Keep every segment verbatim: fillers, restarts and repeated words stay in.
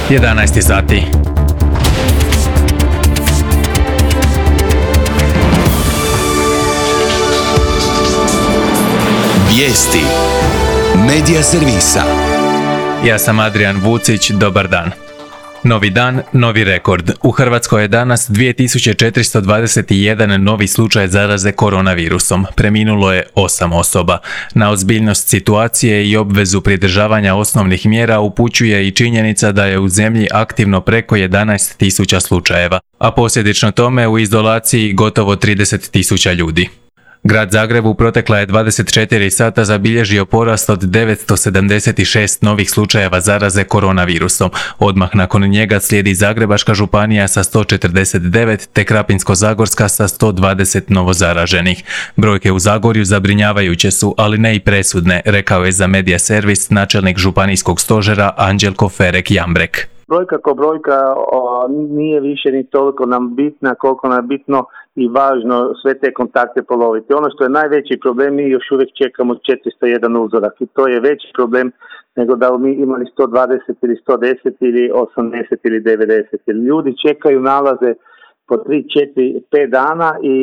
jedanaest sati. Vijesti Medija servisa. Ja sam Adrian Vucić, dobar dan. Novi dan, novi rekord. U Hrvatskoj je danas dvije tisuće četiristo dvadeset jedan novi slučaj zaraze koronavirusom. Preminulo je osam osoba. Na ozbiljnost situacije i obvezu pridržavanja osnovnih mjera upućuje i činjenica da je u zemlji aktivno preko jedanaest tisuća slučajeva, a posljedično tome u izolaciji gotovo trideset tisuća ljudi. Grad Zagreb u protekla je dvadeset četiri sata zabilježio porast od devetsto sedamdeset šest novih slučajeva zaraze koronavirusom. Odmah nakon njega slijedi Zagrebačka županija sa sto četrdeset devet te Krapinsko-zagorska sa sto dvadeset novozaraženih. Brojke u Zagorju zabrinjavajuće su, ali ne i presudne, rekao je za Medija servis načelnik županijskog stožera Anđelko Ferek-Jambrek. Brojka ko brojka o, nije više ni toliko nam bitna koliko nam je bitno i važno sve te kontakte poloviti. Ono što je najveći problem, mi još uvijek čekamo četiristo jedan uzorak i to je veći problem nego da mi imali sto dvadeset ili sto deset ili osamdeset ili devedeset. Ljudi čekaju nalaze po tri, četiri, pet dana i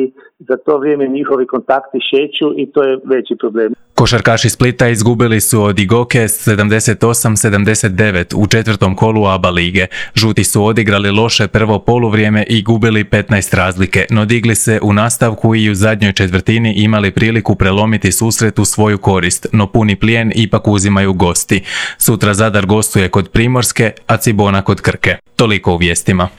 za to vrijeme njihovi kontakti šeću i to je veći problem. Košarkaši Splita izgubili su od Igoke sedamdeset osam sedamdeset devet u četvrtom kolu A B A lige. Žuti su odigrali loše prvo poluvrijeme i gubili petnaest razlike, no digli se u nastavku i u zadnjoj četvrtini imali priliku prelomiti susret u svoju korist, no puni plijen ipak uzimaju gosti. Sutra Zadar gostuje kod Primorske, a Cibona kod Krke. Toliko u vijestima.